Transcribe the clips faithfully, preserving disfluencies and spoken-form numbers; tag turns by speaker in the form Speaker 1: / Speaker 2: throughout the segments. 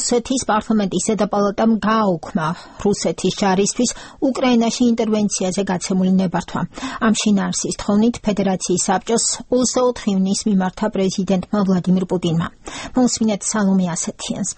Speaker 1: რუსეთის პარლამენტის ზედაპალატამ გააუქმა რუსეთის ჯარისთვის უკრაინაში ინტერვენციაზე გაცემული ნებართვა. ამ შინაარსის თხოვნით ფედერაციის საბჭოს ოცდაოთხ ივნისს მიმართა პრეზიდენტმა ვლადიმირ პუტინმა. მოსმინეთ სალომე ასეთიანს.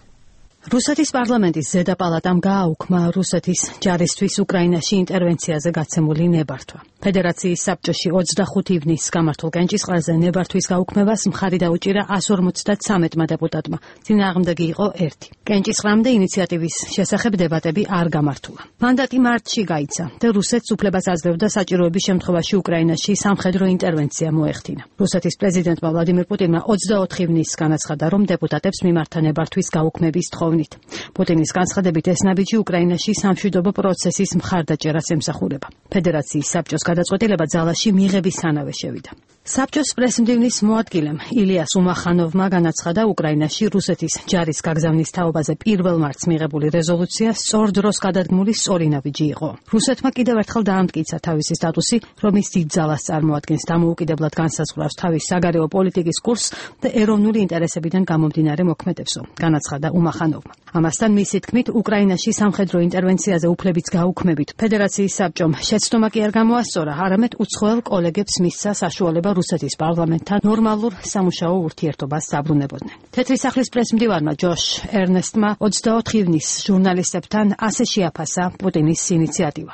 Speaker 2: რუსეთის პარლამენტის ზედაპალატამ გააუქმა რუსეთის ჯარისთვის უკრაინაში ინტერვენციაზე გაცემული ნებართვა. ფედერაციის საბჭოში ოცდახუთ ივნისს გამართულ კენჭისყრაზე ნებართვის გაუქმებას მხარი დაუჭირა εκατს ორმოცდათრამეტმა დეპუტატმა. წინააღმდეგი იყო ერთი. კენჭისყრამდე ინიციატივის შესახებ დებატები არ გამართულა. მანდატი მარტში გაიცა და რუსეთს უფლებას აძლევდა საჭიროების შემთხვევაში უკრაინაში სამხედრო ინტერვენცია მოეხდინა. რუსეთის პრეზიდენტმა ვლადიმირ პუტინმა ოცდაოთხ ივნისს განაცხადა, რომ დეპუტატებს მიმართა ნებართვის გაუქმების თხოვნა. პუტინის განცხადებით ეს ნაბიჯი უკრაინაში სამშვიდობო პროცესის მხარდაჭერას ემსახურება. ფედერაციის საბჭოს გადაწყვეტილება ძალაში მიღებისთანავე შევიდა. საბჭოს პრესმდივნის მოადგილემ ილიას უმახანოვმა განაცხადა, უკრაინაში რუსეთის ჯარის გაგზავნის თაობაზე პირველ მარტს მიღებული რეზოლუცია სწორ დროს გადადგმული სწორი ნაბიჯი იყო. რუსეთმა კიდევ ერთხელ დაამტკიცა თავისი სტატუსი, რომ ის დიდ ძალას წარმოადგენს, დამოუკიდებლად განსაზღვრავს თავის საგარეო პოლიტიკის კურსს და ეროვნული ინტერესებიდან გამომდინარე მოქმედებსო, განაცხადა უმახანოვმა. ამასთან მისი თქმით, უკრაინაში სამხედრო ინტერვენციაზე უფლების გაუქმებით ფედერაციის საბჭომ შეცდომა კი არ გამოასწორა, არამედ უცხოელ კოლეგებს მისცა საშუალება რუსეთის პარლამენტთან ნორმალურ სამუშაო ურთიერთობას დაბრუნებოდნენ. თეთრი სახლის პრესმდივარმა ჯოშ ერნესტმა ოცდაოთხ ივნისს ჟურნალისტებთან ასე შეაფასა პუტინის ინიციატივა.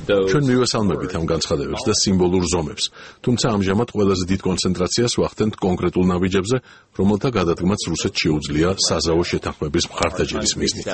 Speaker 3: ჩვენ მივესალმებით ამ განცხადებებს და სიმბოლურ ზომებს, თუმცა ამჟამად ყველაზე დიდ კონცენტრაციას ვახდენთ კონკრეტულ ნაბიჯებზე, რომელთა გადადგმაც რუსეთს შეუძლია საზავო შეთანხმების მხარდაჭერის მიზნით.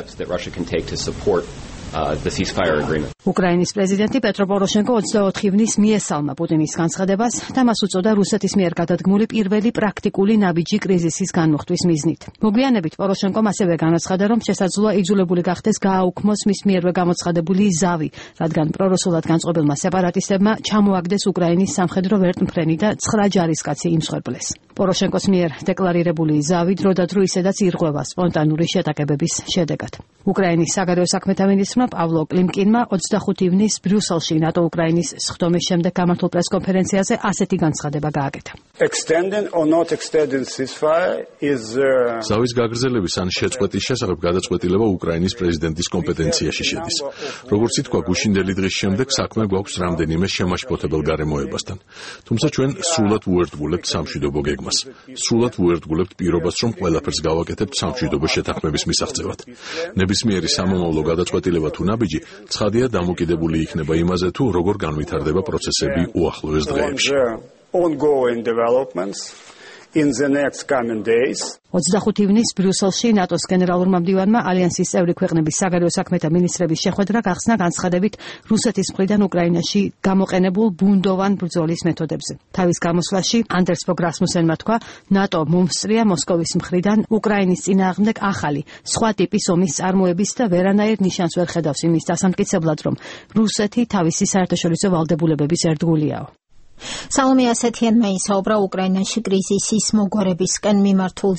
Speaker 2: უკრაინის პრეზიდენტი პეტრო პოროშენკო ოცდაოთხ ივნისს მიესალმა პუტინის განცხადებას და მას უწოდა რუსეთის მიერ გადადგმული პირველი პრაქტიკული ნაბიჯი კრიზისის განმუხტვის მიზნით. მოგვიანებით პოროშენკომ ასევე განაცხადა, რომ შესაძლოა იძულებული გახდეს გააუქმოს მის მიერვე გამოცხადებული ზავი, რადგან პრორუსულად განწყობილმა სეპარატისტებმა ჩამოაგდეს უკრაინის სამხედრო ვერტმფრენი და ცხრა ჯარისკაცი იმსხვერპლეს. პოროშენკოს მიერ დეკლარირებული ზავი დროდადრო ისედაც ირღვევა სპონტანური შეტაკებების შედეგად. უკრაინის საგარეო საქმეთა მინისტრმა პავლო კლიმკინმა ოცდახუთ ივნისს ბრიუსელში ნატო-უკრაინის სხდომის შემდეგ გამართულ პრესკონფერენციაზე ასეთი განცხადება გააკეთა.
Speaker 3: ზავის გაგრძელების ან შეწყვეტის შესახებ გადაწყვეტილება უკრაინის პრეზიდენტის კომპეტენციაში შედის. როგორც ითქვა, გუშინდელი დღის შემდეგ საქმე გვაქვს რამდენიმე შემაშფოთებელ გარემოებასთან. თუმცა ჩვენ სრულად უერთგულებთ სამშვიდობო გეგმას. სრულად უერთგულებთ პირობას, რომ ყველაფერს გავაკეთებთ სამშვიდობო შეთანხმების მისაღწევად. ნებისმიერი სამომავლო გადაწყვეტილება თუ ნაბიჯი ცხადია დამოკიდებული იქნება იმაზე, თუ როგორ განვითარდება პროცესები უახლოეს დღეებში.
Speaker 2: ოცდახუთ ივნისს ბრიუსელში ნატოს გენერალურმა მდივანმა ალიანსის წევრი ქვეყნების საგარეო საქმეთა მინისტრების შეხვედრა გახსნა განცხადებით რუსეთის მხრიდან უკრაინაში გამოყენებულ ბუნდოვან ბრძოლის მეთოდებზე. თავის გამოსვლაში ანდერს ფოგ რასმუსენმა თქვა, ნატო მომსწრია მოსკოვის მხრიდან უკრაინის წინააღმდეგ ახალი, სხვა ტიპის ომის წარმოების და ვერანაირ ნიშანს ვერ ხედავს იმის დასამტკიცებლად, რომ რუსეთი თავისი საერთაშორისო ვალდებულებების ერთგულიაო.
Speaker 1: სალომე ასეთიანმა ისაუბრა უკრაინაში კრიზისის მოგვარებისკენ მიმართულ